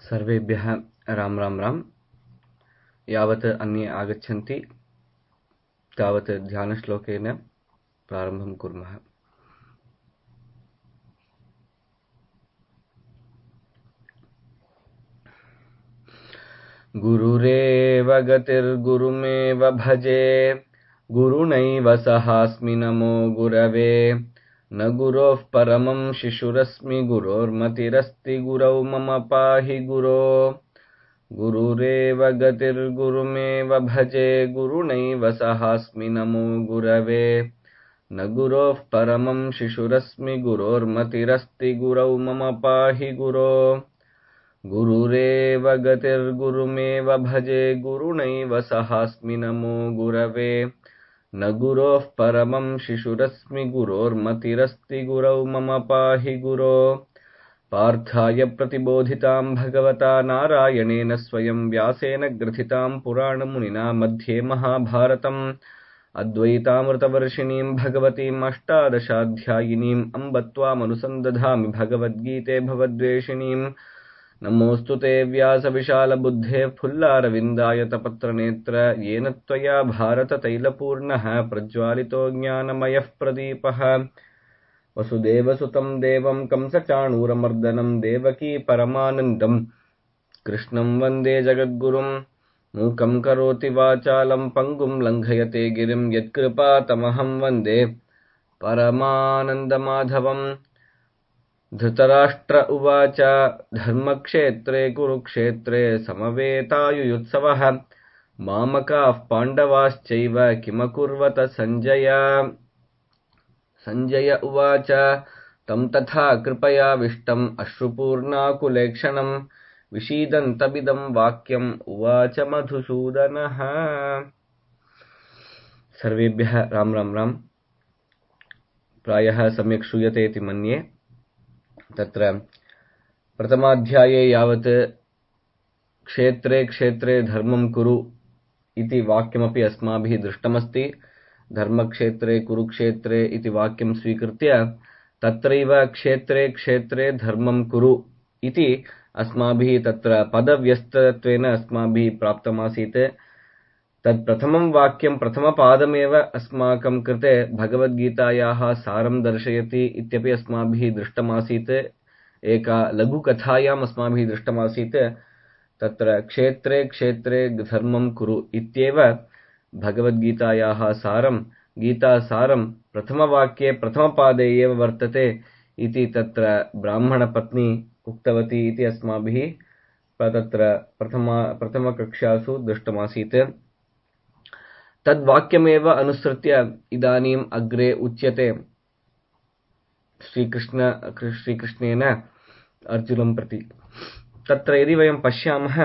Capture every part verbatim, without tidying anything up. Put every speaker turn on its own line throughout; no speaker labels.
सर्वेभ्यः राम राम राम। यावत् अन्ये आगच्छन्ति तावत् ध्यानश्लोकेन प्रारम्भं कुर्मः। गुरुरेव गतिर्गुरुमेव भजे, गुरुणैव सहास्मि नमो गुरवे। न गुरोः परमं शिशुरस्मि, गुरोर्मतिरस्ति गुरौ मम पाहि गुरो। गुरुरेव गतिर्गुरुमेव भजे, गुरुणैव सहास्मि नमो गुरवे। न गुरोः परमं शिशुरस्मि, गुरोर्मतिरस्ति गुरौ मम पाहि गुरो। गुरुरेव गतिर्गुरुमेव भजे, गुरुणैव सहास्मि नमो गुरवे। न गुरोः परमं शिशुरस्मि, गुरोर्मतिरस्ति गुरौ मम पाहि गुरो। पार्थाय प्रतिबोधितां भगवता नारायणेन स्वयं व्यासेन ग्रथितां पुराणमुनिना मध्ये महाभारतम् अद्वैतामृतवर्षिणीं भगवतीम् अष्टादशाध्यायिनीम् अम्ब त्वामनुसन्दधामि भगवद्गीते भवद्वेषिणीम्। नमोऽस्तु ते व्यासविशालबुद्धे फुल्लारविन्दायतपत्रनेत्र, येन त्वया भारततैलपूर्णः प्रज्वालितो ज्ञानमयः प्रदीपः। वसुदेवसुतं देवं कंसचाणूरमर्दनं, देवकी परमानन्दं कृष्णं वन्दे जगद्गुरुं। मूकं करोति वाचालं पङ्गुं लङ्घयते गिरिं, यत्कृपातमहं वन्दे परमानन्दमाधवम्। धृतराष्ट्र उवाच धर्मक्षेत्रे कुरुक्षेत्रे समवेतायुयुत्सवः, मामकाः पाण्डवाश्चैव किमकुर्वत सञ्जय। सञ्जय उवाच तं तथा कृपयाविष्टम् अश्रुपूर्णाकुलेक्षणम्, विषीदन्तमिदं वाक्यम् उवाच मधुसूदनः। सर्वेभ्यः राम राम राम। प्रायः सम्यक् श्रूयते इति मन्ये। तत्र प्रथमाध्याये यावत् क्षेत्रे क्षेत्रे धर्मं कुरु इति वाक्यमपि अस्माभिः दृष्टमस्ति। धर्मक्षेत्रे कुरुक्षेत्रे इति वाक्यं स्वीकृत्य तत्रैव क्षेत्रे क्षेत्रे धर्मं कुरु इति अस्माभिः तत्र पदव्यस्तत्वेन अस्माभिः प्राप्तमासीत्। तत् प्रथमं वाक्यं प्रथमपादमेव अस्माकं कृते भगवद्गीतायाः सारं दर्शयति इत्यपि अस्माभिः दृष्टमासीत्। एका लघुकथायाम् अस्माभिः दृष्टमासीत्। तत्र क्षेत्रे क्षेत्रे धर्मं कुरु इत्येव भगवद्गीतायाः सारं, गीतासारं प्रथमवाक्ये प्रथमपादे एव वर्तते इति तत्र ब्राह्मणपत्नी उक्तवती इति अस्माभिः तत्र प्रथम प्रथमकक्षासु दृष्टमासीत्। तद्वाक्यमेव अनुसृत्य इदानीम् अग्रे उच्यते श्रीकृष्ण श्रीकृष्णेन अर्जुनं प्रति। तत्र यदि वयं पश्यामः,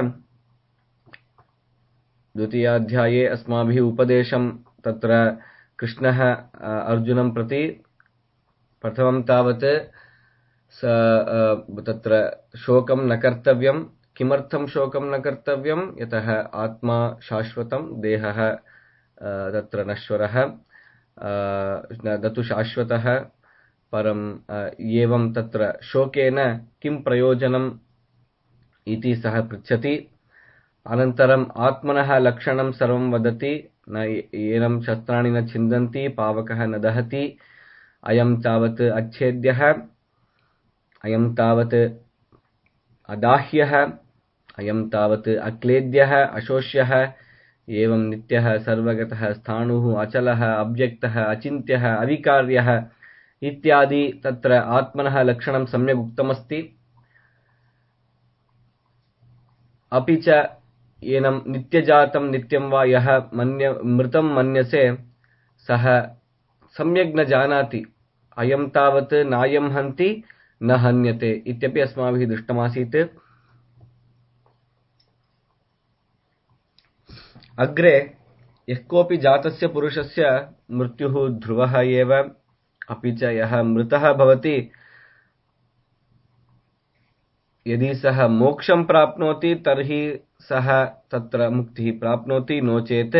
द्वितीयाध्याये अस्माभिः उपदेशं तत्र कृष्णः अर्जुनं प्रति प्रथमं तावत् तत्र शोकं न कर्तव्यं। किमर्थं शोकं न कर्तव्यं? यतः आत्मा शाश्वतं, देहः तत्र नश्वरः, न तु शाश्वतः। परं एवं तत्र शोकेन किं प्रयोजनम् इति सः पृच्छति। अनन्तरम् आत्मनः लक्षणं सर्वं वदति। न एनं शस्त्राणि न छिन्दन्ति, पावकः न दहति, अयं तावत् अच्छेद्यः, अयं तावत् अदाह्यः, अयं तावत् अक्लेद्यः, अशोष्यः, एवं नित्यः, सर्वगतः, स्थाणुः, अचलः, अव्यक्तः, अचिन्त्यः, अविकार्यः इत्यादि तत्र आत्मनः लक्षणं सम्यक् उक्तमस्ति। अपि च एनं नित्यजातं नित्यं वा यः मन्य मृतं मन्यसे, सः सम्यक् न जानाति। अयं तावत् नायं हन्ति न हन्यते इत्यपि अस्माभिः दृष्टमासीत्। अग्रे यः कोऽपि जातस्य पुरुषस्य मृत्युः ध्रुवः एव। अपि च यः मृतः भवति, यदि सः मोक्षं प्राप्नोति तर्हि सः तत्र मुक्तिः प्राप्नोति। नो चेत्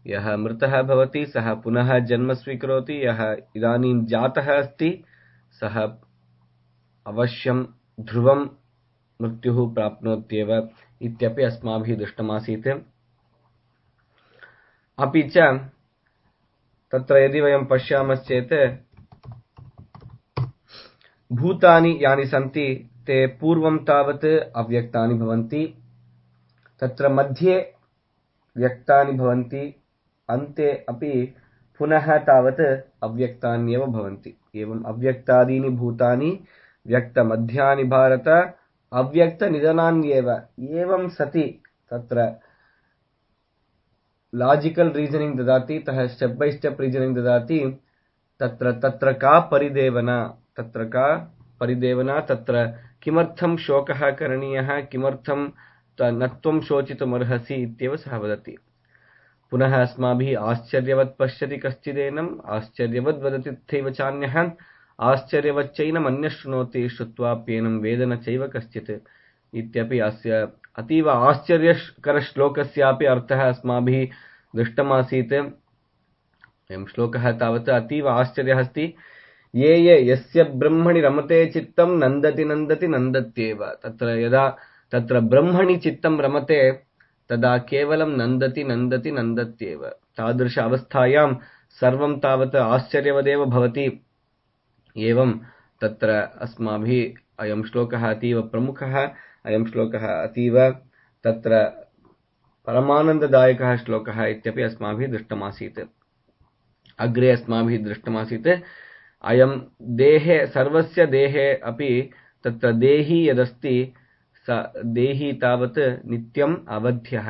यः मृतः भवति सः पुनः जन्म स्वीकरोति। यः इदानीं जातः अस्ति सः अवश्यं ध्रुवं मृत्युः प्राप्नोत्येव इत्यपि अस्माभिः दृष्टमासीत्। अपि च तत्र यदि वयं पश्यामश्चेत् भूतानि यानि सन्ति ते पूर्वं तावत् अव्यक्तानि भवन्ति, तत्र मध्ये व्यक्तानि भवन्ति, अन्ते अपि पुनः तावत् अव्यक्तान्येव भवन्ति। एवम् अव्यक्तादीनि भूतानि व्यक्तमध्यानि भारत अव्यक्तनिधनान्येव। एवं सति तत्र लाजिकल रीजनिंग ददाति, तः स्टेप बाय स्टेप रीजनिंग ददाति। तत्र तत्र का परिदेवना, तत्र का परिदेवना, तत्र किमर्थं शोकः करणीयः, किमर्थं न त्वं शोचितुमर्हसि इत्येव सः वदति। पुनः अस्माभिः आश्चर्यवत् पश्यति कश्चिदेनम्, आश्चर्यवद् वदति तथैव चान्यः, आश्चर्यवच्चैनम् अन्यः शृणोति, श्रुत्वाप्येनं वेद न चैव कश्चित् इत्यपि अस्य अतीव आश्चर्यकरश्लोकस्यापि अर्थः अस्माभिः दृष्टमासीत्। अयं श्लोकः तावत् अतीव आश्चर्यः अस्ति। ये ये यस्य ब्रह्मणि रमते चित्तं नन्दति नन्दति नन्दत्येव। तत्र यदा तत्र ब्रह्मणि चित्तं रमते तदा केवलं नन्दति नन्दति नन्दत्येव। तादृश अवस्थायां सर्वं तावत् आश्चर्यवदेव भवति। एवं तत्र अस्माभिः अयं श्लोकः अतीव प्रमुखः, अयं श्लोकः अतीव तत्र परमानन्ददायकः श्लोकः इत्यपि अस्माभिः दृष्टमासीत्। अग्रे अस्माभिः दृष्टमासीत् अयं देहे सर्वस्य देहे अपि तत्र देही यदस्ति स देही तावत् नित्यम् अवध्यः।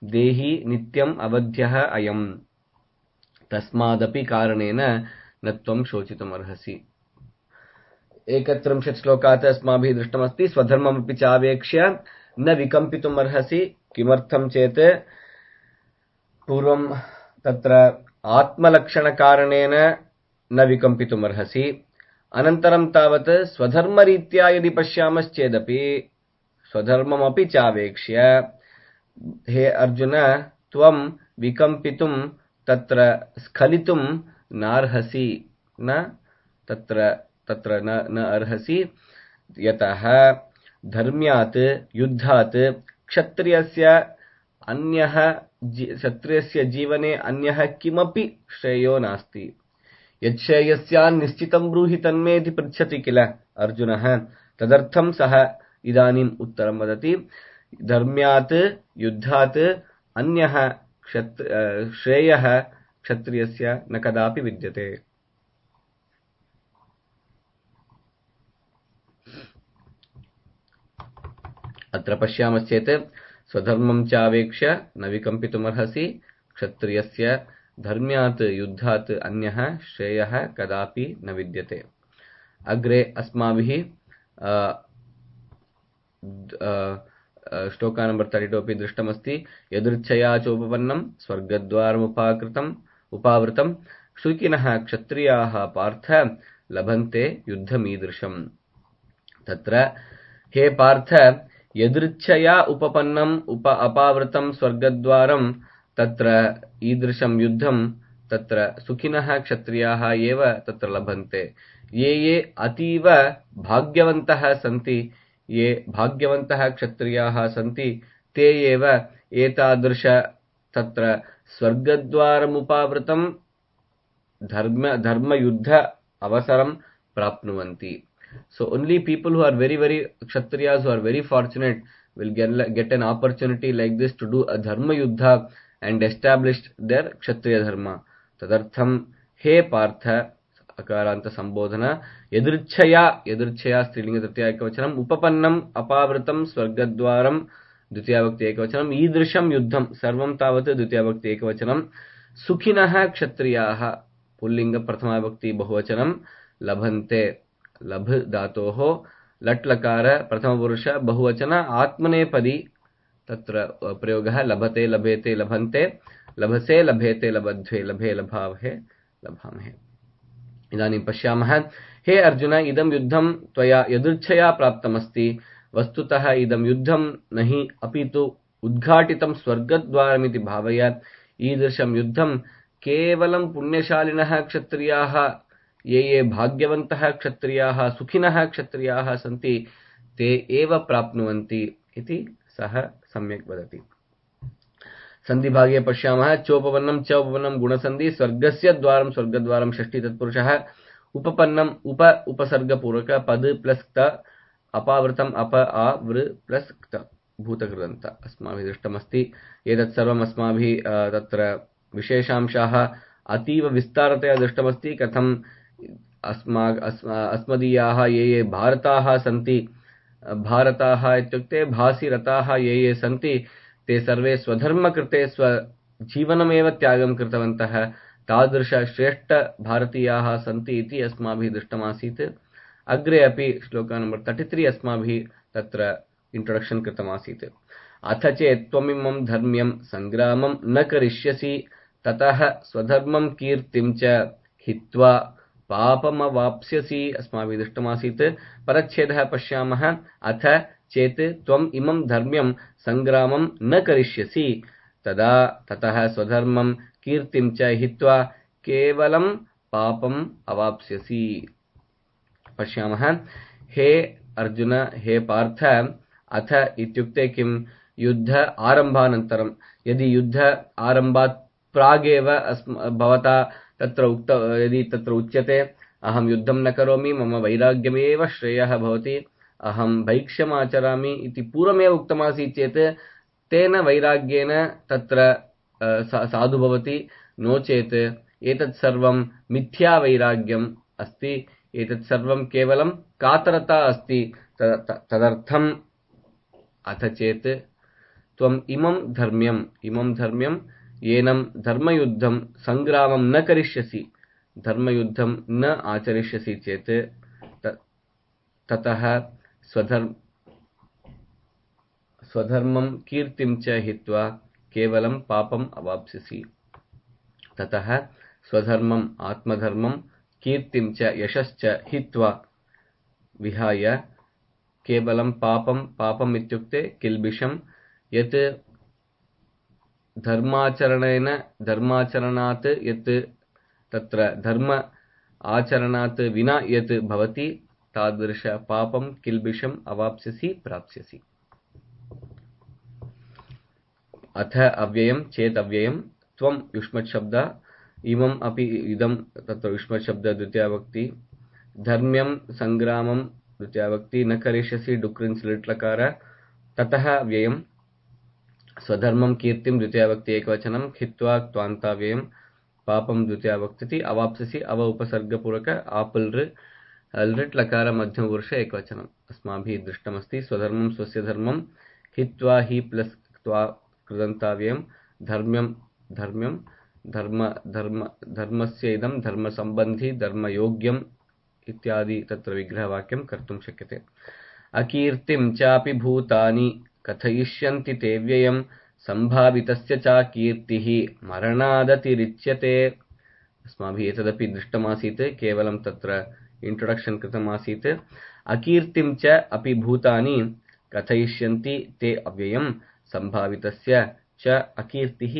देही नित्यम् अवध्यः अयम्, तस्मादपि कारणेन न त्वं शोचितुमर्हसि। एकत्रिंशत् श्लोकात् अस्माभिः दृष्टमस्ति स्वधर्ममपि चावेक्ष्य न विकम्पितुमर्हसि। किमर्थं चेत् पूर्वं तत्र आत्मलक्षणकारणेन न विकम्पितुमर्हसि, अनन्तरं तावत् स्वधर्मरीत्या यदि पश्यामश्चेदपि स्वधर्ममपि चावेक्ष्य हे अर्जुन त्वं विकम्पितुं तत्र स्खलितुं नार्हसि, न तत्र तत्र न न अर्हसि। यतः धर्म्यात् युद्धात् क्षत्रियस्य अन्यः क्षत्रियस्य जीवने अन्यः किमपि श्रेयो नास्ति। यच्छ्रेयस्यान् निश्चितं ब्रूहि तन्मेति पृच्छति किल अर्जुनः, तदर्थं सः इदानीम् उत्तरं वदति। धर्म्यात् युद्धात् अन्यः क्षत्र श्रेयः क्षत्रियस्य न कदापि विद्यते। अत्र पश्यामश्चेत् स्वधर्मं चावेक्ष्य न विकम्पितुमर्हसि, क्षत्रियस्य धर्म्यात् युद्धात् अन्यः श्रेयः कदापि न विद्यते। अग्रे अस्माभिः श्लोका नंबर थर्टी टू अपि दृष्टमस्ति। यदृच्छया चोपपन्नं स्वर्गद्वारमुपाकृतम् उपावृतं शुकिनः क्षत्रियाः पार्थ लभन्ते युद्धमीदृशम्। तत्र हे पार्थ यदृच्छया उपपन्नम् उप अपावृतं स्वर्गद्वारं तत्र ईदृशं युद्धं तत्र सुखिनः क्षत्रियाः एव तत्र लभन्ते। ये ये अतीव भाग्यवन्तः सन्ति, ये भाग्यवन्तः क्षत्रियाः सन्ति, ते एव एतादृश तत्र स्वर्गद्वारमुपावृतं धर्म धर्मयुद्ध अवसरं प्राप्नुवन्ति। So only people who are very very kshatriyas who are very fortunate will get, get an opportunity like this to do a dharma yuddha and establish their kshatriya dharma. Tadartham he partha akaranta sambodhana yadrichaya yadrichaya strilinga tatya ekavachanam upapannam apavritam swargadwaram द्वितीया भक्ति एकवचनम ईदृशम युद्धम सर्वम तावत् द्वितीया भक्ति एकवचनम सुखिनः क्षत्रियाः pulling प्रथमा भक्ति बहुवचनम लभन्ते लभ धातोः लट् लकार प्रथम पुरुष बहुवचन आत्मनेपदी तत्र प्रयोगः लभते लभेते लभन्ते लभसे लभेते लबध्वे लभे लभावहे लभामहे। इदानीं पश्यामः हे अर्जुन इदं युद्धं त्वया यदृच्छया प्राप्तमस्ति। वस्तुतः इदं युद्धं नहि अपितु उद्घाटितं स्वर्गद्वारमिति भावय। ईदृशं युद्धं केवलं पुण्यशालिनः क्षत्रियाः ये ये भाग्यवन्तः क्षत्रियाः सुखिनः क्षत्रियाः सन्ति ते एव प्राप्नुवन्ति इति सः सम्यक् वदति। सन्धिभागे पश्यामः चोपपन्नं च उपपन्नं गुणसन्धि स्वर्गस्य द्वारं स्वर्गद्वारं षष्ठी तत्पुरुषः उपपन्नम उप उपसर्गपूर्वक पद प्लस क्त अपावृतम अप आ वृ प्लस क्त भूतकृदन्त अस्माभिः दृष्टमस्ति। एतत् सर्वम् अस्माभिः तत्र विशेषांशाः अतीव विस्तारतया दृष्टमस्ति। कथम् अस्मा अस्मदीयाः ये ये भारताः सन्ति, भारताः इत्युक्ते भासि रताः ये ये सन्ति ते सर्वे स्वधर्म कृते स्वजीवनमेव त्यागं कृतवन्तः। तादृश श्रेष्ठ भारतीयाः सन्ति इति अस्माभिः दृष्टमासीत्। अग्रे अपि श्लोक नंबर तैंतीस अस्माभिः तत्र इंट्रोडक्शन कृतमासीत्। अथ चेत् त्वमिमं धर्म्यं संग्रामं न करिष्यसि ततः स्वधर्मं कीर्तिं च हित्वा पापमवाप्स्यसि अस्माभिः दृष्टमासीत्। परच्छेदः पश्यामः। अथ चेत् त्वम् इमं धर्म्यं संग्रामं न करिष्यसि तदा ततः स्वधर्मं कीर्तिं च हित्वा केवलं पापम् अवाप्स्यसि। पश्यामः। हे अर्जुन, हे पार्थ, अथ इत्युक्ते किं? युद्ध आरम्भानन्तरं, यदि युद्ध आरम्भात् प्रागेव भवता तत्र उक्त यदि तत्र उच्यते अहं युद्धं न करोमि, मम वैराग्यमेव श्रेयः भवति, अहं भैक्ष्यमाचरामि इति पूर्वमेव उक्तमासीत् चेत् तेन वैराग्येन तत्र साधु भवति। नो चेत् एतत् सर्वं मिथ्या वैराग्यम् अस्ति, एतत् सर्वं केवलं कातरता अस्ति। तदर्थम् अथ चेत् त्वम् इमं धर्म्यम् इमं धर्म्यं येनं धर्मयुद्धं संग्रामं न करिष्यसि, धर्मयुद्धं न आचरिष्यसि चेत् ततः स्वधर्म स्वधर्मं कीर्तिं च हित्वा केवलं पापम् अवाप्स्यसि। ततः स्वधर्मम् आत्मधर्मं कीर्तिं च यशश्च हित्वा विहाय केवलं पापं पापम् इत्युक्ते किल्बिषं यत् धर्माचरणेन धर्माचरणात् यत् तत्र धर्म आचरणात् विना यत् भवति तादृश पापं किल्बिषम् अवाप्स्यसि प्राप्स्यसि। अथ अव्ययं चेत् अव्ययं त्वं युष्मत् शब्द इमम् अपि इदं तत्र युष्मत् शब्द द्वितीया विभक्ति। धर्म्यं संग्रामं द्वितीया विभक्ति। न करिष्यसि डुक्रिन् स्लिट् लकार। ततः व्ययं स्वधर्मं कीर्तिं द्वितीया विभक्ति एकवचनं। हित्वा क्त्वान्ताव्ययं पापं द्वितीया विभक्ति। अवाप्स्यसि अव उपसर्गपूर्वक आपल् लृट् लकार मध्यमपुरुष एकवचनम् अस्माभिः दृष्टमस्ति। स्वधर्मं स्वस्य धर्मं हित्वा हि प्लस् क्त्वा कृदन्ताव्ययं धर्म्यं धर्म्यं धर्म धर्म धर्मस्य इदं धर्मसम्बन्धी धर्मयोग्यम् इत्यादि तत्र विग्रहवाक्यं कर्तुं शक्यते। अकीर्तिं चापि भूतानि कथयिष्यन्ति ते व्ययं सम्भावितस्य च कीर्तिः मरणादतिरिच्यते। अस्माभिः एतदपि दृष्टमासीत्, केवलं तत्र इंट्रोडक्शन कृतमासीत्। अकीर्तिं च अपि भूतानि कथयिष्यन्ति ते अव्ययं सम्भावितस्य च अकीर्तिः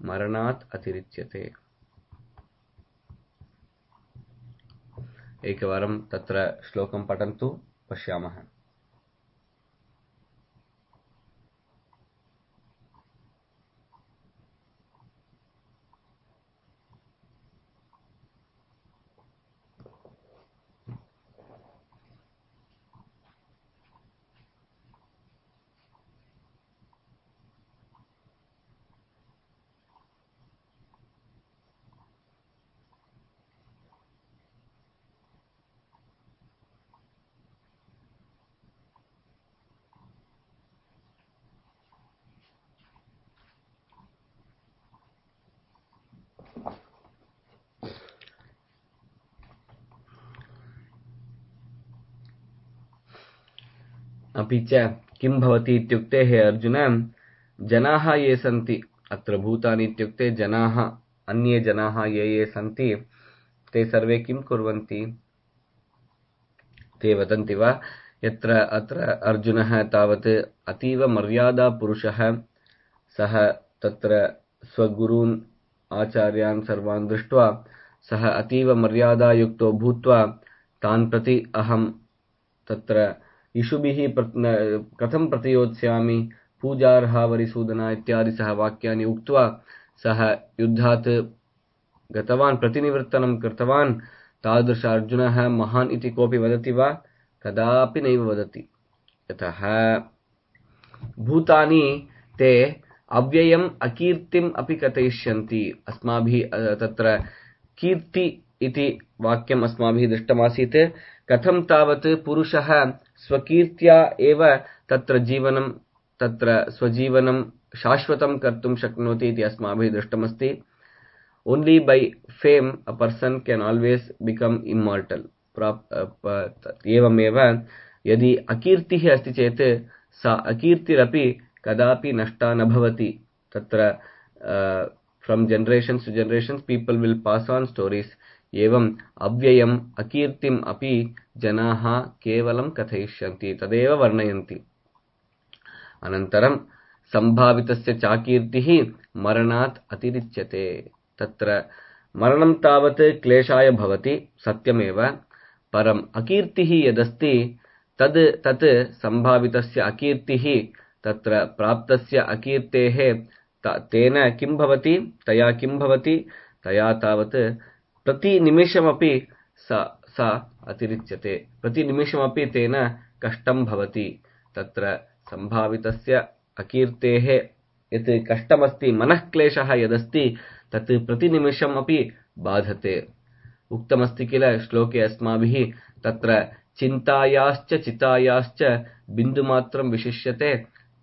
मरणात् अतिरिच्यते। एकवारं तत्र श्लोकं पठन्तु पश्यामः। अपि च किं भवति इत्युक्ते हे अर्जुन, जनाः ये सन्ति अत्र भूतानि इत्युक्ते जनाः, अन्ये जनाः ये ये सन्ति ते सर्वे किं कुर्वन्ति? ते वदन्ति वा यत्र अत्र अर्जुनः तावत् अतीव मर्यादा पुरुषः, सः तत्र स्वगुरून् आचार्यान् सर्वान् दृष्ट्वा सः अतीव मर्यादायुक्तो भूत्वा तान् प्रति अहं तत्र इषुभिः कथं प्रतियोत्स्यामि पूजार्हा वरिसूदना इत्यादि सः वाक्यानि उक्त्वा सः युद्धात् गतवान्, प्रतिनिवर्तनं कृतवान्। तादृश अर्जुनः महान् इति कोऽपि वदति वा? कदापि नैव वदति। यतः भूतानि ते अव्ययम् अकीर्तिम् अपि कथयिष्यन्ति। अस्माभिः तत्र कीर्ति इति वाक्यम् अस्माभिः दृष्टमासीत्। कथं तावत् पुरुषः स्वकीर्त्या एव तत्र जीवनं तत्र स्वजीवनं शाश्वतं कर्तुं शक्नोति इति अस्माभिः दृष्टमस्ति। Only by fame a person can always become immortal. एवमेव यदि अकीर्तिः अस्ति चेत् सा अकीर्तिरपि कदापि नष्टा न भवति। तत्र from generations to generations people will pass on stories. एवं अव्ययम् अकीर्तिम् अपि जनाः केवलं कथयिष्यन्ति, तदेव वर्णयन्ति। अनन्तरं सम्भावितस्य चाकीर्तिः मरणात् अतिरिच्यते। तत्र मरणं तावत् क्लेशाय भवति, सत्यमेव। परम् अकीर्तिः यदस्ति तद् तत् सम्भावितस्य अकीर्तिः तत्र प्राप्तस्य अकीर्तेः तेन किं भवति, तया किं भवति, तया तावत् प्रतिनिमिषमपि सा सा अतिरिच्यते। प्रतिनिमिषमपि तेन कष्टं भवति। तत्र सम्भावितस्य अकीर्तेः यत् कष्टमस्ति, मनःक्लेशः यदस्ति तत् प्रतिनिमिषम् अपि बाधते। उक्तमस्ति किल श्लोके अस्माभिः, तत्र चिन्तायाश्च चितायाश्च बिन्दुमात्रं विशिष्यते।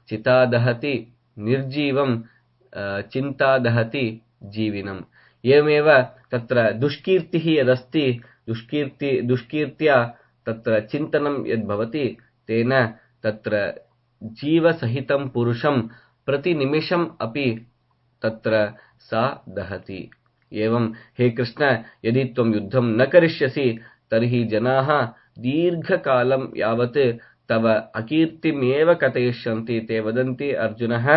चिता दहति निर्जीवं, चिन्ता दहति जीविनम्। एवमेव तत्र दुष्कीर्तिः यदस्ति, दुष्कीर्ति दुष्कीर्त्या तत्र चिन्तनं यद्भवति तेन तत्र जीवसहितं पुरुषं प्रतिनिमिषम् अपि तत्र सा दहति। एवं हे कृष्ण, यदि त्वं युद्धं न करिष्यसि तर्हि जनाः दीर्घकालं यावत् तव अकीर्तिमेव कथयिष्यन्ति। ते वदन्ति अर्जुनः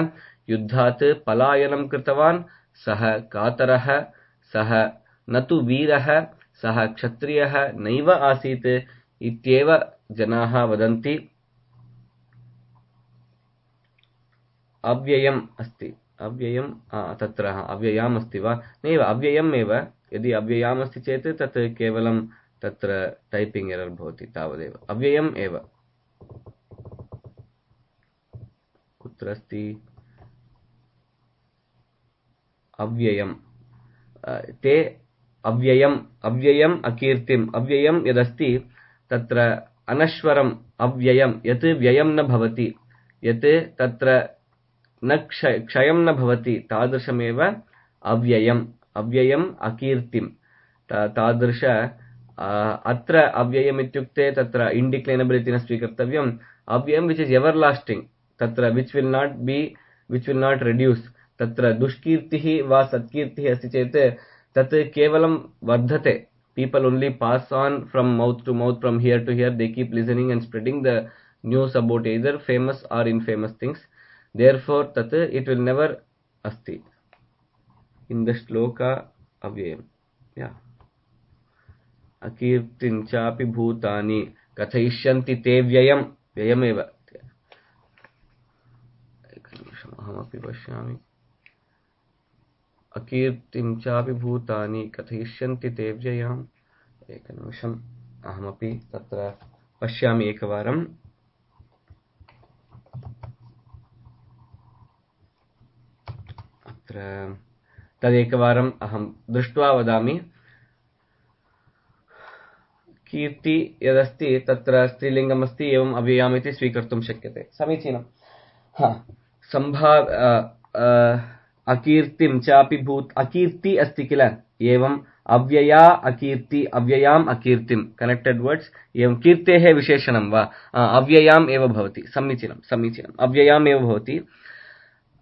युद्धात् पलायनं कृतवान्, सः कातरः, सः न तु वीरः, सः क्षत्रियः नैव आसीत् इत्येव जनाः वदन्ति। अव्ययम् अस्ति, अव्ययम् तत्र अव्ययाम् अस्ति वा? नैव, अव्ययम् एव। यदि अव्ययाम् अस्ति चेत् तत् केवलं तत्र टैपिंग एरर् भवति, तावदेव। अव्ययम् एव। कुत्र अस्ति? अव्ययम्। ते अव्ययम्, अव्ययम् अकीर्तिम्। अव्ययम् यदस्ति तत्र अनश्वरम् अव्ययम्, यत् व्ययं न भवति, यत् तत्र न क्षय क्षयं न भवति, तादृशमेव अव्ययम्। अव्ययम् अकीर्तिम्। तादृश अत्र अव्ययम् इत्युक्ते तत्र इन्डिक्लैनबल् इति न स्वीकर्तव्यम्। अव्ययम् विच् इस् एवर् लास्टिङ्ग्, तत्र which will not be which will not reduce. तत्र दुष्कीर्तिः वा सत्कीर्तिः अस्ति चेत् तत् केवलं वर्धते। People only pass on from mouth to mouth, from here to here. They keep listening and spreading the news about either famous or infamous things. Therefore, tat it will never asti. In the shloka avyayam, yeah. Akirtin chapi bhutani kathayishyanti te vyayam, vyayam eva. Ahamapi pashyami. अकीर्तिं चापि भूतानि कथयिष्यन्ति ते व्ययाम्। एकनिमिषम्, अहमपि तत्र पश्यामि एकवारम्। अत्र तदेकवारम् अहं दृष्ट्वा वदामि। कीर्ति यदस्ति तत्र स्त्रीलिङ्गम् अस्ति, एवम् अव्ययाम् इति स्वीकर्तुं शक्यते। समीचीनम्। हा, सम्भा अकीर्तिं चापि भूत, अकीर्ति अस्ति किल, एवं अव्यया अकीर्ति, अव्ययाम् अकीर्तिं, कनेक्टेड वर्ड्स। एवं कीर्तेः विशेषणं वा अव्ययाम् एव भवति। समीचीनं समीचीनम्, अव्ययाम् एव भवति।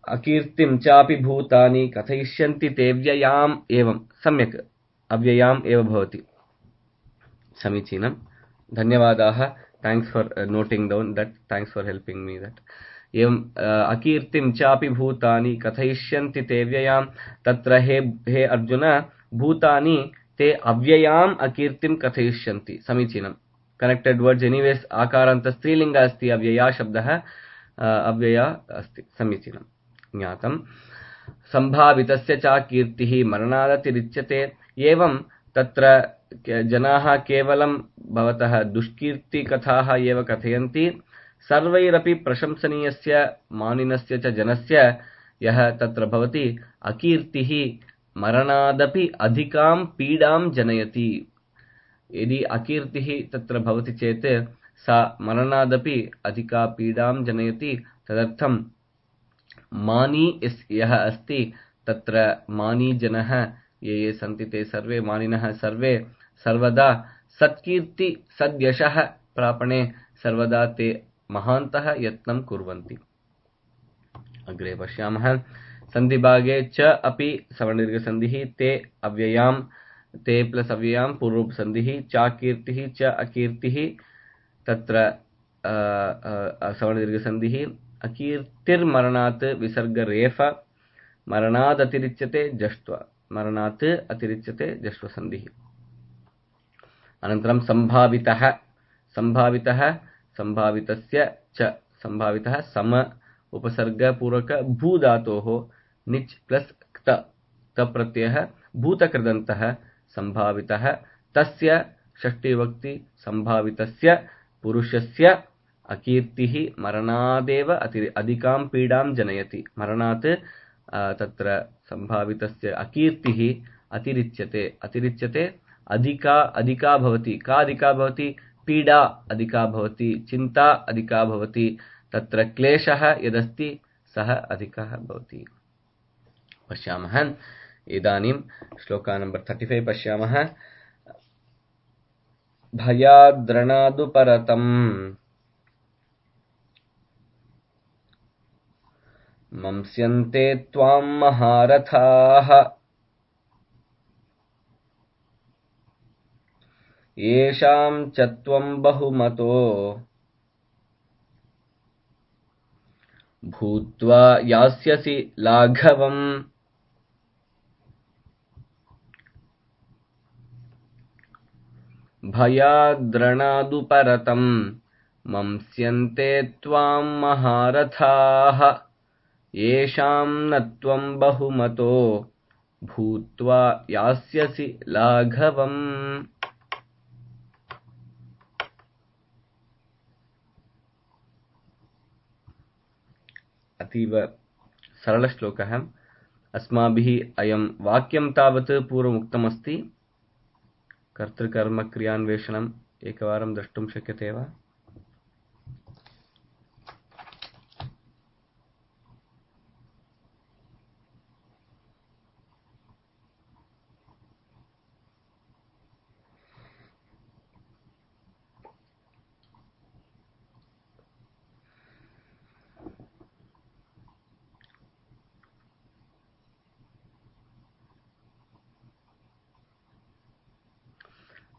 अकीर्तिं चापि भूतानि कथयिष्यन्ति ते व्ययाम्, एवं सम्यक् अव्ययाम् एव भवति। समीचीनं, धन्यवादाः। Thanks for noting down that, thanks for helping me that. एवं अकीर्तिं चापि भूतानि कथयिष्यन्ति ते व्ययाम्। तत्र हे हे अर्जुन, भूतानि ते अव्ययाम् अकीर्तिं कथयिष्यन्ति। समीचीनम्। connected words anyways akaranta strilinga asti avyaya shabdah अव्यया अस्ति समीचीनं ज्ञातं संभावितस्य च कीर्तिः मरणादतिरिच्यते एवं तत्र जनाः केवलं भवतः दुष्कीर्तिकथाः एव कथयन्ति सर्वैरपि प्रशंसनीयस्य मानिनस्य च जनस्य यः तत्र भवति अकीर्तिः मरणादपि अधिकां पीडां जनयति यदि अकीर्तिः तत्र भवति चेत् सा मरणादपि अधिका पीडां जनयति तदर्थं मानी यः अस्ति तत्र मानी जनः ये ये सन्ति ते सर्वे मानिनः सर्वे सर्वदा सत्कीर्ति सद्यशः प्रापणे सर्वदा ते महान्तः यत्नं कुर्वन्ति। अग्रे पश्यामः सन्धिभागे च अपि सवर्णदीर्घसन्धिः ते अव्ययां ते प्लस अव्ययां पूर्वसन्धिः च कीर्तिः च अकीर्तिः तत्र सवर्णदीर्घसन्धिः अकीर्तिर्मरणात् विसर्गरेफ मरणात् अतिरिच्यते जष्ट्व मरणात् अतिरिच्यते जष्ट्वसन्धिः। अनन्तरं सम्भावितः सम्भावितः सम्भावितस्य च सम्भावितः सम उपसर्गपूर्वक भू धातोः निच् प्लस क्त क्त प्रत्ययः भूतकृदन्तः सम्भावितः तस्य षष्ठीविभक्ति सम्भावितस्य पुरुषस्य अकीर्तिः मरणादेव अधिकां पीडां जनयति। मरणात् तत्र सम्भावितस्य अकीर्तिः अतिरिच्यते अतिरिच्यते अधिका अधिका भवति का अधिका भवति पीडा अधिका भवति चिन्ता अधिका भवति तत्र क्लेशः यदस्ति सः अधिकः भवति। पश्यामः इदानीं श्लोका नंबर पैंतीस पश्यामः भयाद्रणादुपरतम् मंस्यन्ते त्वां महारथाः येषां च त्वं बहुमतो भूत्वा यास्यसि लाघवम्। भयाद्रणादुपरतम् मंस्यन्ते त्वां महारथाः येषां न त्वं बहुमतो भूत्वा यास्यसि लाघवम्। अतीव सरल श्लोकः। अस्माभिः अयं वाक्यं तावत् पूर्वमुक्तमस्ति। कर्तृकर्म क्रियान्वेषणम् एकवारं द्रष्टुं शक्यते वा?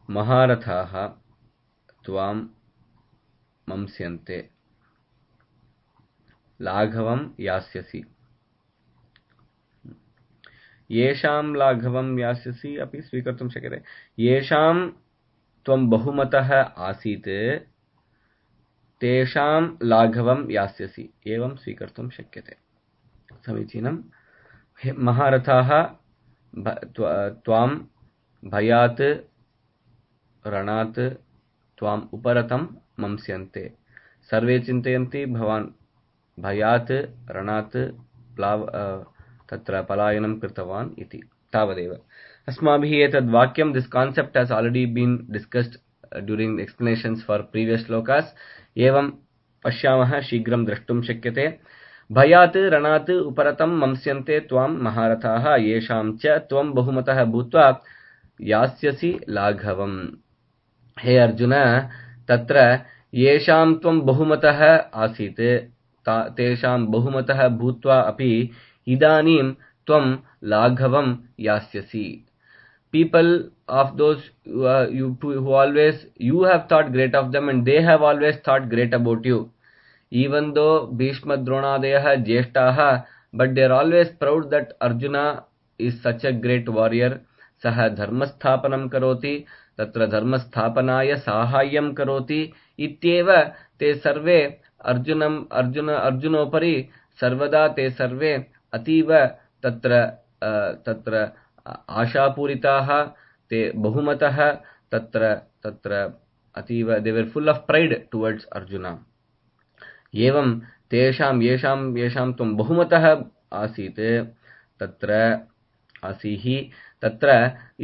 महारथाः त्वां मंस्यन्ते लाघवं यास्यसि। येषां लाघवं यास्यसि अपि स्वीकर्तुं शक्यते। येषां त्वं बहुमतः आसीत् तेषां लाघवं यास्यसि एवं स्वीकर्तुं शक्यते। समीचीनं। महारथाः त्वां भयात् रणात् त्वाम् उपरतं मंस्यन्ते। सर्वे चिन्तयन्ति भवान् भयात् रणात् प्लाव तत्र पलायनं कृतवान् इति। तावदेव अस्माभिः एतद् वाक्यं this concept has already been discussed during explanations for previous shlokas. एवं पश्यामः शीघ्रं द्रष्टुं शक्यते। भयात् रणात् उपरतं मंस्यन्ते त्वां महारथाः येषां च त्वं बहुमतः भूत्वा यास्यसि लाघवम्। हे अर्जुन तत्र येषां त्वं बहुमतः आसीत् तेषां बहुमतः भूत्वा अपि इदानीं त्वं लाघवं यास्यसि। People of those uh, you who always you have thought great of them and they have always thought great about you. Even though Bhishma Dronadayah Jeshtaha, but they are always proud that Arjuna is such a great warrior. Saha dharmasthapanam karoti, तत्र धर्मस्थापनाय साहाय्यं करोति इत्येव ते सर्वे अर्जुनम् अर्जुन अर्जुनोपरि सर्वदा ते सर्वे अतीव तत्र तत्र आशापूरिताः ते बहुमतः तत्र तत्र अतीव they were full of pride towards Arjuna. एवं तेषां येषां येषां त्वं बहुमतः आसीत् तत्र आसीः तत्र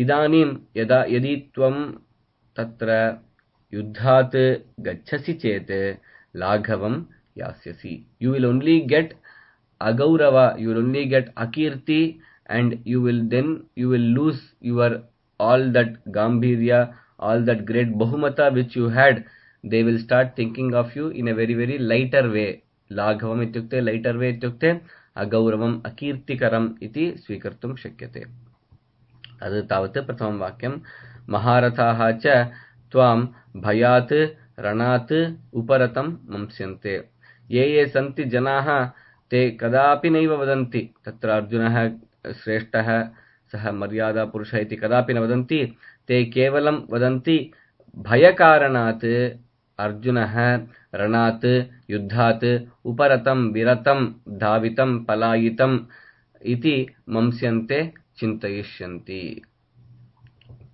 इदानीं यदा यदि त्वं तत्र युद्धात् गच्छसि चेत् लाघवं यास्यसि. You will only get agaurava, you will only get akirti, and you will then you will lose your all that gambhirya, all that great bahumata which you had. They will start thinking of you in a very very lighter way. Laghavam ityukte lighter way ityukte agauravam akirtikaram iti swikartum shakyate. Adu tavat pratham vakyam. Maharathaha cha tvam bhayat ranat uparatam mamsyante. Ye ye santi janaha te kadapi naiva vadanti. Tatra Arjunah श्रेष्ठः सः मर्यादा पुरुषः इति कदापि न वदन्ति. ते केवलं वदन्ति भयकारणात् अर्जुनः रणात् युद्धात् उपरतं विरतं धावितं पलायितं इति मंस्यन्ते चिन्तयिष्यन्ति.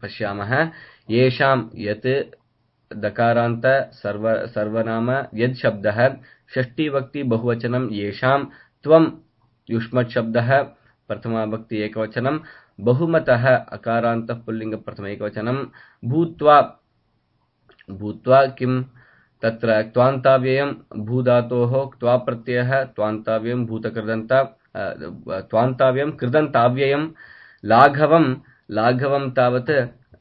पश्यामः येषां यत् दकारान्त सर्व सर्वनाम यद् शब्दः षष्ठी भक्ति बहुवचनं येषां त्वं युष्मत् शब्दः प्रथमा भक्ति एकवचनं बहुमतः अकारान्त पुल्लिंग प्रथम एकवचनं भूत्वा भूत्वा किं तत्र त्वान्ताव्ययं भूधातोः त्वा प्रत्ययः त्वान्ताव्ययं भूतकृदन्त त्वान्ताव्ययं कृदन्ताव्ययं लाघवं लाघवं तावत्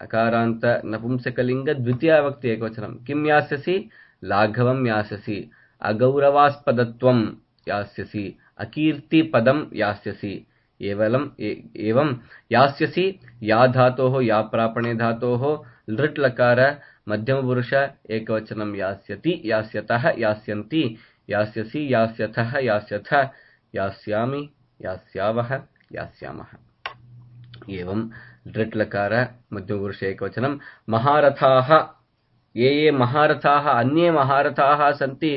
अकारान्त नपुंसकलिंग द्वितीया भक्ति एकवचनं किं यास्यसि लाघवं यास्यसि अगौरवास्पदत्वं यास्यसि अकीर्तिपदं यास्यसि. एवं एवं यास्यसि या धातोः या प्रापणे धातोः लृट् लकार मध्यमपुरुष एकवचनं यास्यति यास्यतः यास्यन्ति यास्यसि यास्यथः यास्यथ यास्यामि यास्यावः यास्यामः. एवं लृट् लकार मध्यमपुरुष एकवचनं. महारथाः ये ये महारथाः अन्ये महारथाः सन्ति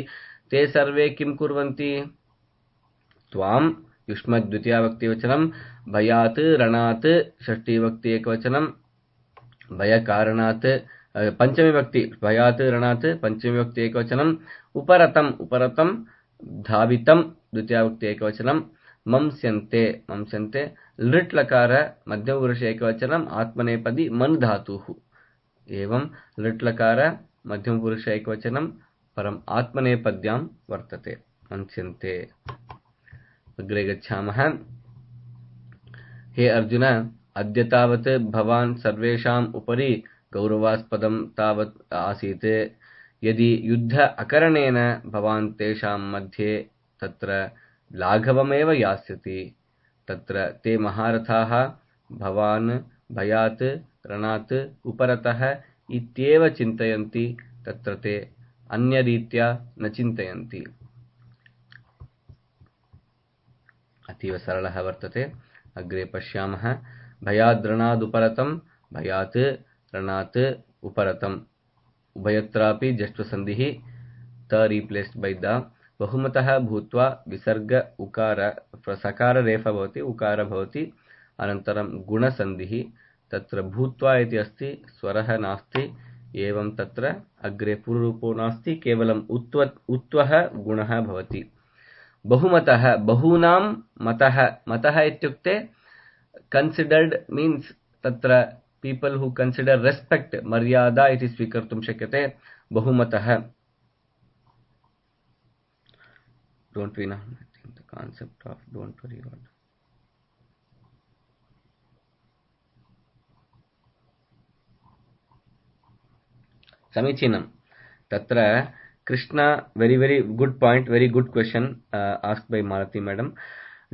ते सर्वे किं कुर्वन्ति. त्वां युष्मद् द्वितीया भक्ति वचनं भयात् रणात् षष्ठी भक्ति एकवचनं भयकारणात् पंचमी भक्ति भयात् रणात् पंचमी भक्ति एकवचनं उपरतम् उपरतं धावितं द्वितीया भक्ति एकवचनं मंस्यन्ते मंस्यन्ते लृट् लकार मध्यमपुरुष एकवचनं आत्मनेपदी मन धातुः. एवं लृट् लकार मध्यमपुरुष एकवचनं परम आत्मनेपद्यां वर्तते मंस्यन्ते. अग्रे गच्छामः. हे अर्जुन अद्य तावत् भवान् सर्वेषाम् उपरि गौरवास्पदं तावत् आसीत्. यदि युद्ध अकरणेन भवान् तेषां मध्ये तत्र लाघवमेव यास्यति. तत्र ते महारथाः भवान् भयात् रणात् उपरतः इत्येव चिन्तयन्ति. तत्र ते अन्यरीत्या न चिन्तयन्ति. अतीव सरलः वर्तते. अग्रे पश्यामः. भयाद् रणाद् उपरतं भयात् रणात् उपरतम् उभयत्रापि जष्ट्वसन्धिः त रिप्लेस्ड बाय द बहुमतः भूत्वा विसर्ग उकार सकार रेफा भवति उकार भवति अनन्तरं गुणसन्धिः. तत्र भूत्वा इति अस्ति स्वरः नास्ति. एवं तत्र अग्रे पूर्वरूपो नास्ति केवलम् उत्व उत्वः गुणः भवति. बहुमतः बहूनां मतः मतः इत्युक्ते considered means तत्र people who consider respect मर्यादा इति स्वीकर्तुं शक्यते. बहुमतः don't we know the concept of don't worry about. समीचीनं. तत्र Krishna, very very good point, very good question uh, asked by Malati madam.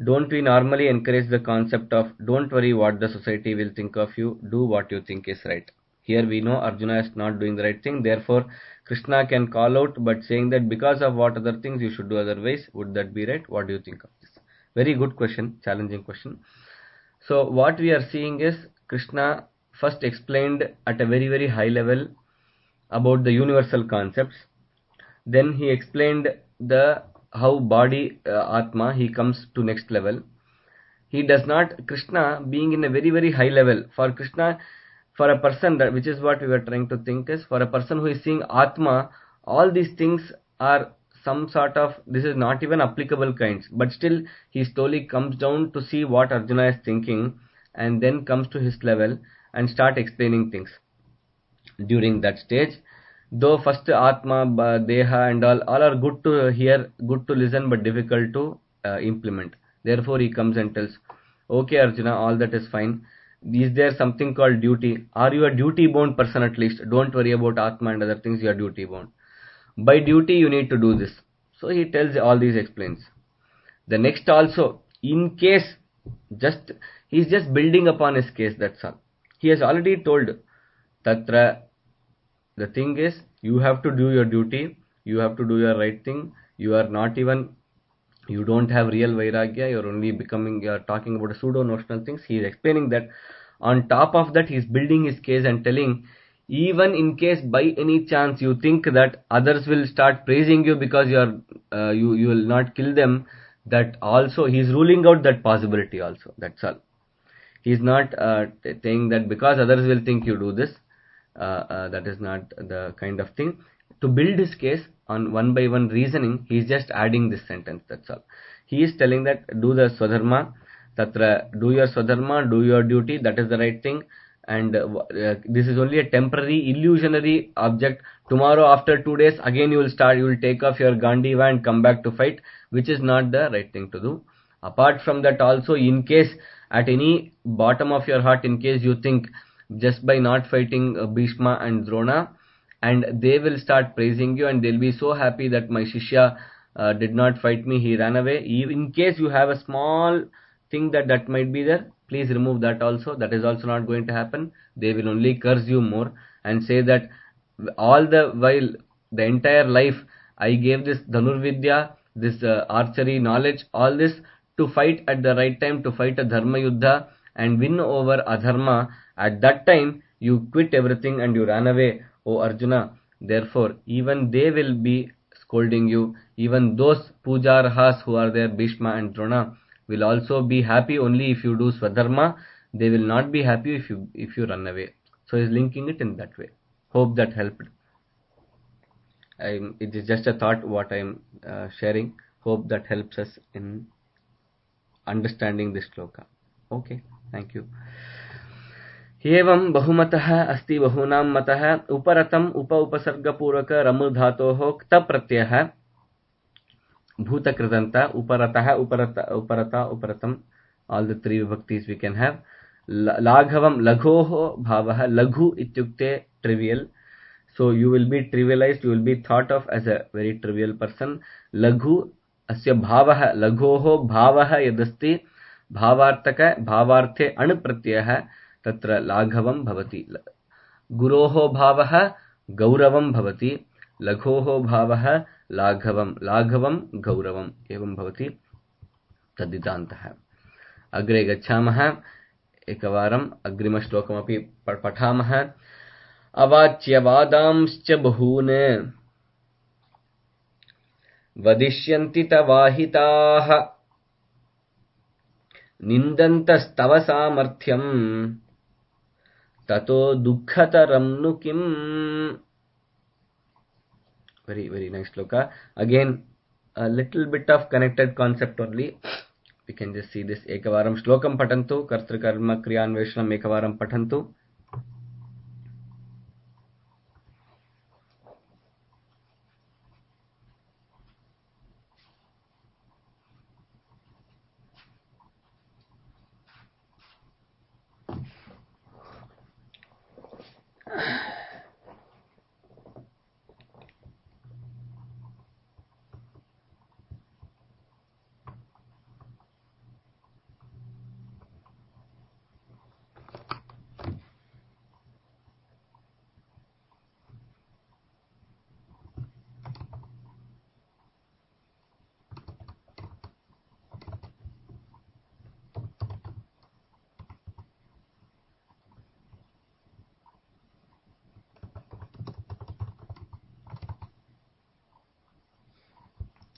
Don't we normally encourage the concept of don't worry what the society will think of you, do what you think is right. Here we know Arjuna is not doing the right thing, therefore Krishna can call out, but saying that because of what other things you should do otherwise, would that be right? What do you think of this? Very good question, challenging question. So what we are seeing is Krishna first explained at a very very high level about the universal concepts. Then he explained the how body uh, Atma, he comes to next level. He does not, Krishna being in a very very high level, for Krishna, for a person, that which is what we were trying to think is, for a person who is seeing Atma, all these things are some sort of, this is not even applicable kinds, but still he slowly comes down to see what Arjuna is thinking, and then comes to his level and start explaining things. During that stage, though first Atma, Deha and all, all are good to hear, good to listen, but difficult to uh, implement. Therefore he comes and tells, okay Arjuna, all that is fine. Is there something called duty? Are you a duty bound person at least? Don't worry about Atma and other things, you are duty bound. By duty you need to do this. So he tells all these, explains. The next also, in case, just he is just building upon his case, that's all. He has already told, Tatra, the thing is, you have to do your duty, you have to do your right thing, you are not even, you don't have real Vairagya, you are only becoming, you are talking about pseudo notional things. He is explaining that. On top of that, he is building his case and telling, even in case by any chance you think that others will start praising you because you are uh, you you will not kill them, that also he is ruling out that possibility also, that's all. He is not uh, saying that because others will think you do this, uh, uh, that is not the kind of thing. To build his case on one by one reasoning, he is just adding this sentence, that's all. He is telling that do the swadharma, tatra, do your swadharma, do your duty, that is the right thing. And uh, uh, this is only a temporary illusionary object. Tomorrow after two days again you will start, you will take off your Gandiva and come back to fight, which is not the right thing to do. Apart from that also, in case at any bottom of your heart, in case you think just by not fighting uh, Bhishma and Drona, and they will start praising you and they'll be so happy that my Shishya uh, did not fight me, he ran away. In case you have a small thing that that might be there, please remove that also. That is also not going to happen. They will only curse you more and say that all the while, the entire life, I gave this Dhanurvidya, this uh, archery knowledge, all this to fight at the right time, to fight a Dharma Yuddha and win over Adharma. At that time, you quit everything and you ran away, O Arjuna. Therefore, even they will be scolding you. Even those Pujarahas who are there, Bhishma and Drona, will also be happy only if you do Swadharma. They will not be happy if you if you run away. So he is linking it in that way. Hope that helped. I'm, it is just a thought what I am uh, sharing. Hope that helps us in understanding this shloka. Okay, thank you. एवं बहुमतः अस्ति बहूनां मतः उपरतम उप उपसर्गपूर्वक रमु धातोः क्त प्रत्ययः भूतकृदन्त उपरतः उपरत उपरता उपरतम, all the three vibhaktis we can have. लाघवम लघोः भावः, लघु इत्युक्ते trivial, so you will be trivialized, you will be thought of as a very trivial person. लघु अस्य भावः, लघोः भावः यदस्ति भावार्थक भावार्थे अण् प्रत्ययः तत्र लाघवं भवति. गुरोः भावः गौरवं भवति, लघोः भावः लाघवं, लाघवं गौरवम् एवं भवति तद्दितान्तः. अग्रे गच्छामः. एकवारम् अग्रिमश्लोकमपि पठामः. अवाच्यवादांश्च बहून् वदिष्यन्ति तवाहिताः निन्दन्तस्तव सामर्थ्यम् ततो दुःखतरं नु किम्. Very very nice shloka. Again a little bit of connected concept only. We can just see this. Ekavaram shlokam patantu, kartrukarma kriyanveshanam ekavaram patantu.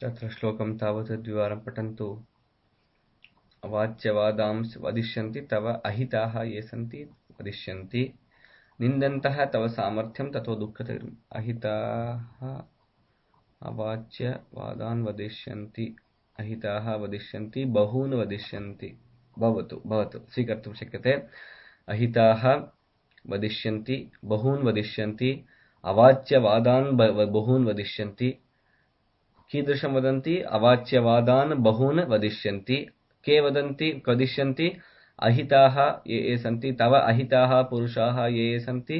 तत्र श्लोकं तावत् द्विवारं पठन्तु। अवाच्यवादांस् वदिष्यन्ति तव अहिताः ये सन्ति वदिष्यन्ति निन्दन्तः तव सामर्थ्यं ततो दुःखतरम्। अहिताः अवाच्यवादान् वदिष्यन्ति, अहिताः वदिष्यन्ति, बहून् वदिष्यन्ति। भवतु भवतु स्वीकर्तुं शक्यते। अहिताः वदिष्यन्ति, बहून् वदिष्यन्ति, अवाच्यवादान् बहून् वदिष्यन्ति। कीदृशं वदन्ति? अवाच्यवादान् बहून् वदिष्यन्ति। के वदन्ति वदिष्यन्ति? अहिताः ये ये सन्ति, तव अहिताः पुरुषाः ये ये सन्ति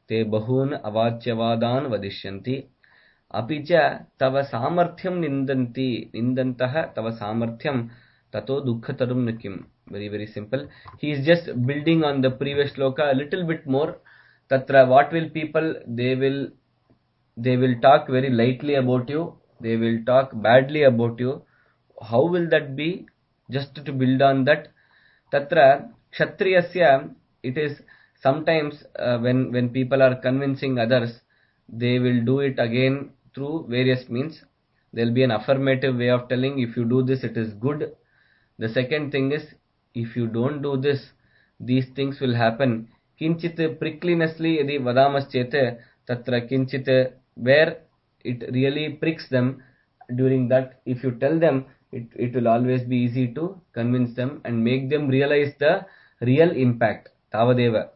ते बहून् अवाच्यवादान् वदिष्यन्ति। अपि च तव सामर्थ्यं निन्दन्ति, निन्दन्तः तव सामर्थ्यं ततो दुःखतरं न किम्। Very very simple. He is just building on the previous shloka a little bit more. Tatra what will people, they will they will talk very lightly about you, they will talk badly about you. How will that be? Just to build on that, tatra kshatriyasya, it is sometimes uh, when when people are convincing others, they will do it again through various means. There will be an affirmative way of telling, if you do this it is good. The second thing is, if you don't do this, these things will happen. Kinchit pricklinessly yadi vadamas-chete, tatra kinchit, where it really pricks them. During that, if you tell them, it, it will always be easy to convince them and make them realize the real impact. Tavadeva.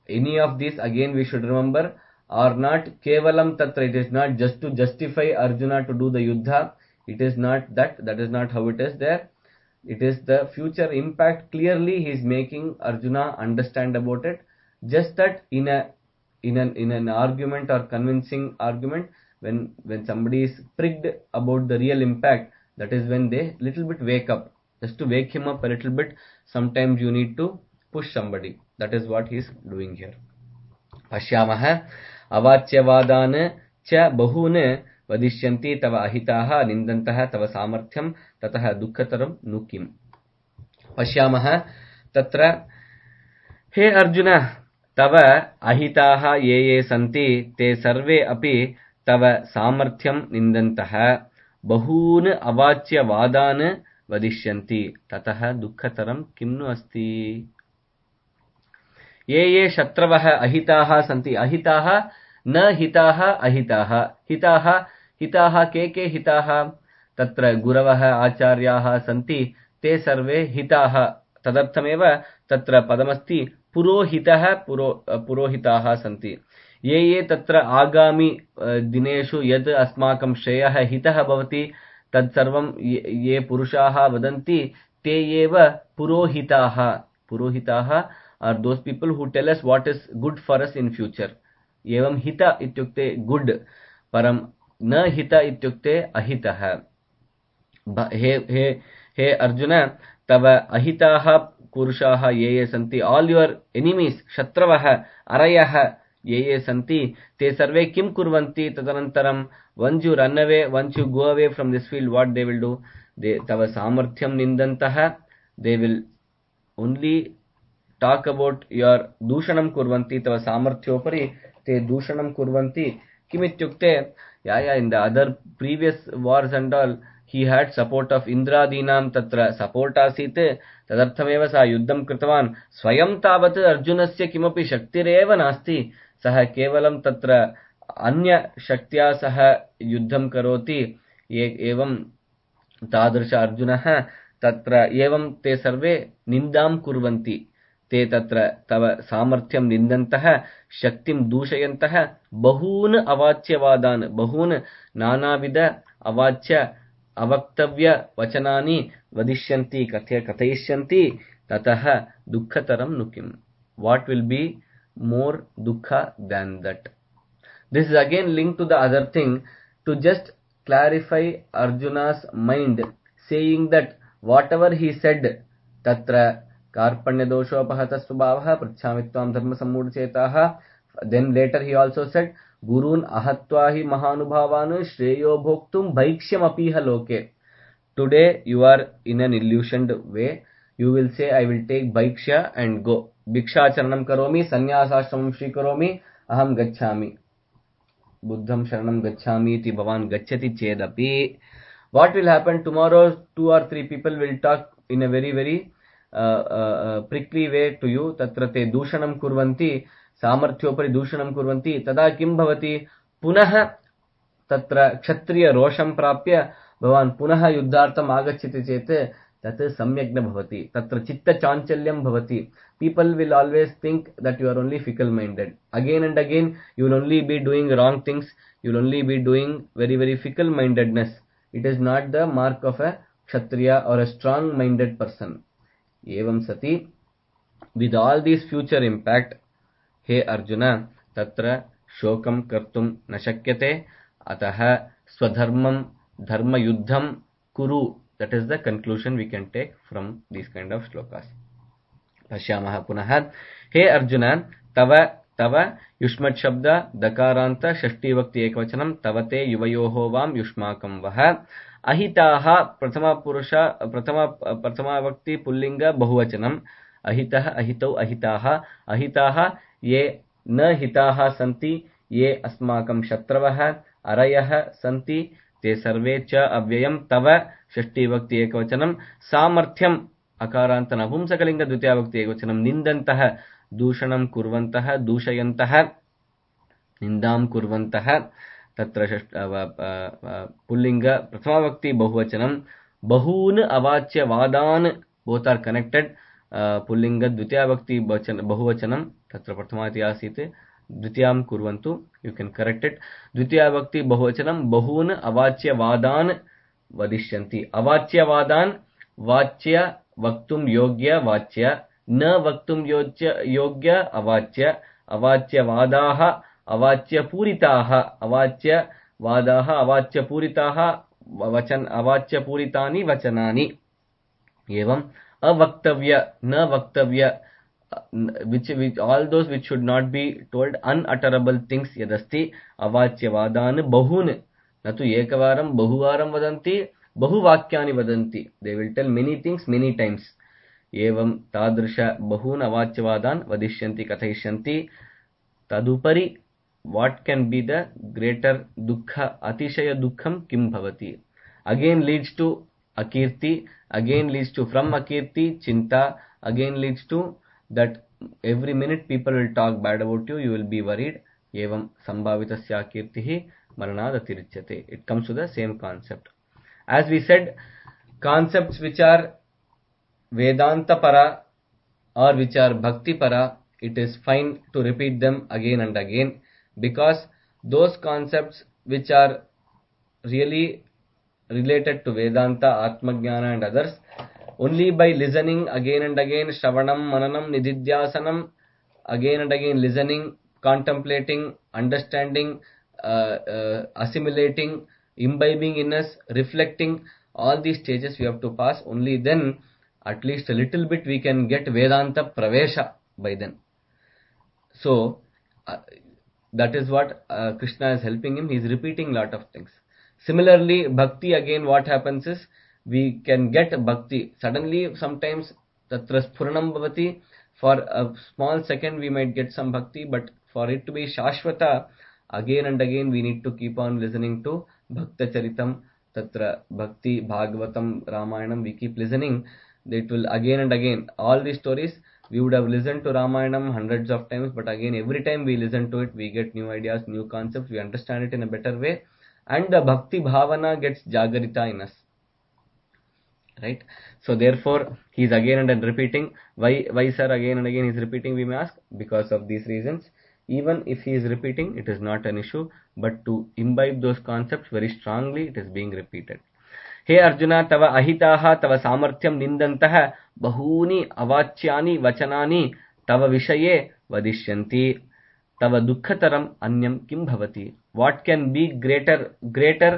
Any of these, again we should remember, are not kevalam tatra. It is not just to justify Arjuna to do the yuddha. It is not that. That is not how it is there. It is the future impact. Clearly he is making Arjuna understand about it. Just that in a in an in an argument or convincing argument, when when somebody is pricked about the real impact, that is when they little bit wake up. Just to wake him up a little bit, sometimes you need to push somebody. That is what he is doing here. Pashyamah avacyavadane cha bahune वदिष्यन्ति तव अहिताः निन्दन्तः तव सामर्थ्यं ततः दुःखतरं नु किम्। पश्यामः तत्र हे अर्जुन, तव अहिताः ये ये सन्ति ते सर्वे अपि तव सामर्थ्यं निन्दन्तः बहून् अवाच्यवादान् वदिष्यन्ति ततः दुःखतरं किं नु अस्ति। ये ये शत्रवः अहिताः सन्ति, अहिताः न हिताः अहिताः, हिताः हिताः के के हिताः? तत्र गुरवः आचार्याः सन्ति ते सर्वे हिताः। तदर्थमेव तत्र पदमस्ति पुरोहितः, पुरो पुरोहिताः सन्ति। ये ये तत्र आगामि दिनेषु यद् अस्माकं श्रेयः हितः भवति तत्सर्वं ये पुरुषाः वदन्ति ते एव पुरोहिताः। पुरोहिताः are those people who tell us what is good for us in future. एवं हित इत्युक्ते गुड, परम न हित इत्युक्ते अहितः। हे हे हे अर्जुन, तव अहिताः पुरुषाः ये ये सन्ति, all your enemies, शत्रवः अरयः ये ये सन्ति ते सर्वे किं कुर्वन्ति? तदनन्तरं once you run away, once you go away from this field, what they will do? They तव सामर्थ्यं निन्दन्तः, they will only talk about your दूषणं कुर्वन्ति, तव सामर्थ्योपरि ते दूषणं कुर्वन्ति। किमित्युक्ते, या या in the other previous wars and all, he had support of इन्द्रादीनां तत्र support आसीत्, तदर्थमेव सः युद्धं कृतवान्। स्वयं तावत् अर्जुनस्य किमपि शक्तिरेव नास्ति, सः केवलं तत्र अन्य शक्त्या सह युद्धं करोति। एवं तादृश अर्जुनः तत्र एवं ते सर्वे निन्दां कुर्वन्ति। ते तत्र तव सामर्थ्यं निन्दन्तः, शक्तिं दूषयन्तः, बहून् अवाच्यवादान्, बहून् नानाविध अवाच्य अवक्तव्य वचनानि वदिष्यन्ति, कथय कथयिष्यन्ति, ततः दुःखतरं नु किम्। What will be more dukkha than that? This is again linked to the other thing, to just clarify Arjuna's mind, saying that whatever he said, tatra कार्पण्य दोषोपहत स्वभावः पृच्छामि त्वां धर्म सम्मूढचेताः. Then later he also said, Gurun ahatva hi mahanubhavan shreyo bhoktum bhaikshyamapiha loke. Today you are in an illusioned way. You will say, I will take bhaiksha and go. Bhikshacharanam karomi, sannyasashramam shrikaromi, aham gacchami. Buddham sharanam gacchami iti bhavan gacchati chedapi. What will happen tomorrow? Two or three people will talk in a very very uh, uh, prickly way to you. Tatra te dushanam kurvanti, samarthyopari dushanam kurvanti. Tada kim bhavati? Punah tatra kshatriya rosham prapya bhavan punah yuddhartam agachyati chete tat samyagna bhavati. Tatra chitta chanchalyam bhavati. People will always think that you are only fickle minded. Again and again you will only be doing wrong things. You will only be doing very very fickle mindedness. It is not the mark of a kshatriya or a strong minded person. Evam sati, with all these future impact, he Arjuna, tatra shokam kartum na shakyate, ataha swadharmam dharma yuddham kuru. That is the conclusion we can take from these kind of shlokas. Pashyamaha punaha. He Arjuna, tava tava yushmat shabda dakaranta shashti vakti ekvachanam tavate yuvayoho vam yushmakam vaha ahitaha prathama purusha prathama prathama vakti pullinga bahuvachanam ahitaha ahitau ahitaha ahitaha ye na hitaha santi ye asmakam shatravah arayah santi te sarve cha avyayam tava shashti vakti ekvachanam samarthyam akaranta navumsakalinga dvitiya vakti ekvachanam nindantah दूषणं कुर्वन्तः दूषयन्तः निन्दां कुर्वन्तः तत्र pulling प्रथमाविभक्ति बहुवचनं बहून् अवाच्य वादान् both are connected pulling द्वितीयाविभक्ति बहुवचनं तत्र प्रथमाति आसीत् द्वितीयां कुर्वन्तु you can correct it द्वितीयाविभक्ति बहुवचनं बहून् अवाच्य वादान् वदिष्यन्ति अवाच्य वादान् वाच्य वक्तुं योग्य वाच्य न वक्तुं योग्य योग्य अवाच्य अवाच्य वादाः अवाच्य पूरिताः अवाच्य वादाः अवाच्य पूरिताः वचन अवाच्य पूरितानि वचनानि एवं अवक्तव्य न वक्तव्य which, which all those which should not be told unutterable things yadasti अवाच्य वादान् बहून् न तु एकवारं बहुवारं वदन्ति बहुवाक्यानि वदन्ति they will tell many things many times एवं तादृश बहून् अवाच्यवादान् वदिष्यन्ति कथयिष्यन्ति तदुपरि what can be the greater dukkha अतिशय दुःखं किं भवति again leads to akirti again leads to from akirti chinta again leads to that every minute people will talk bad about you you will be worried एवं संभावितस्य akirtihi maranad atirichyate it comes to the same concept as we said concepts which are Vedanta para or which are Bhakti para, it is fine to repeat them again and again because those concepts which are really related to Vedanta, Atmajnana and others, only by listening again and again, Shravanam, Mananam, Nididhyasanam, again and again listening, contemplating, understanding, uh, uh, assimilating, imbibing in us, reflecting, all these stages we have to pass, only then at least a little bit we can get Vedanta Pravesha by then. So, uh, that is what uh, Krishna is helping him. He is repeating lot of things. Similarly, Bhakti again what happens is, we can get Bhakti. Suddenly, sometimes, Tatra Sphuranam Bhavati, for a small second we might get some Bhakti, but for it to be Shashvata, again and again we need to keep on listening to Bhakta Charitam, Tatra Bhakti, Bhagavatam, Ramayanam, we keep listening. It will again and again, all these stories, we would have listened to Ramayanam hundreds of times, but again every time we listen to it, we get new ideas, new concepts, we understand it in a better way, and the Bhakti Bhavana gets Jagarita in us. Right? So therefore, he is again and again repeating. Why, why sir, again and again he is repeating, we may ask? Because of these reasons. Even if he is repeating, it is not an issue, but to imbibe those concepts very strongly, it is being repeated. हे अर्जुन तव अहिताः तव सामर्थ्यं निन्दन्तः बहूनि अवाच्यानि वचनानि तव विषये वदिष्यन्ति तव दुःखतरम् अन्यं किं भवति what can be greater greater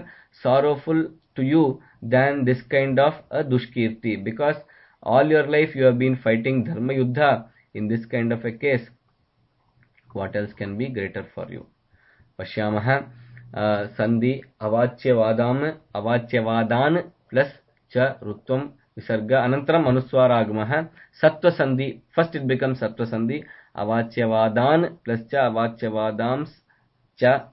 sorrowful to you than this kind of a dushkirti because all your life you have been fighting dharma yuddha in this kind of a case what else can be greater for you pashyamah Uh, sandhi avacyavadam avacyavadan plus cha rutvam visarga anantaram anuswaragamaha sattva sandhi first it becomes sattva sandhi avacyavadan plus cha avacyavadams cha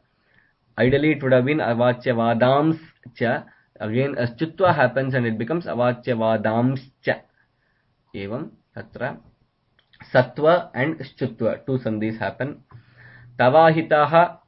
ideally it would have been avacyavadams cha again Shchutva happens and it becomes Avacyavadamscha. Evam tatra Sattva and Shchutva, two sandhis happen. Tavahitaha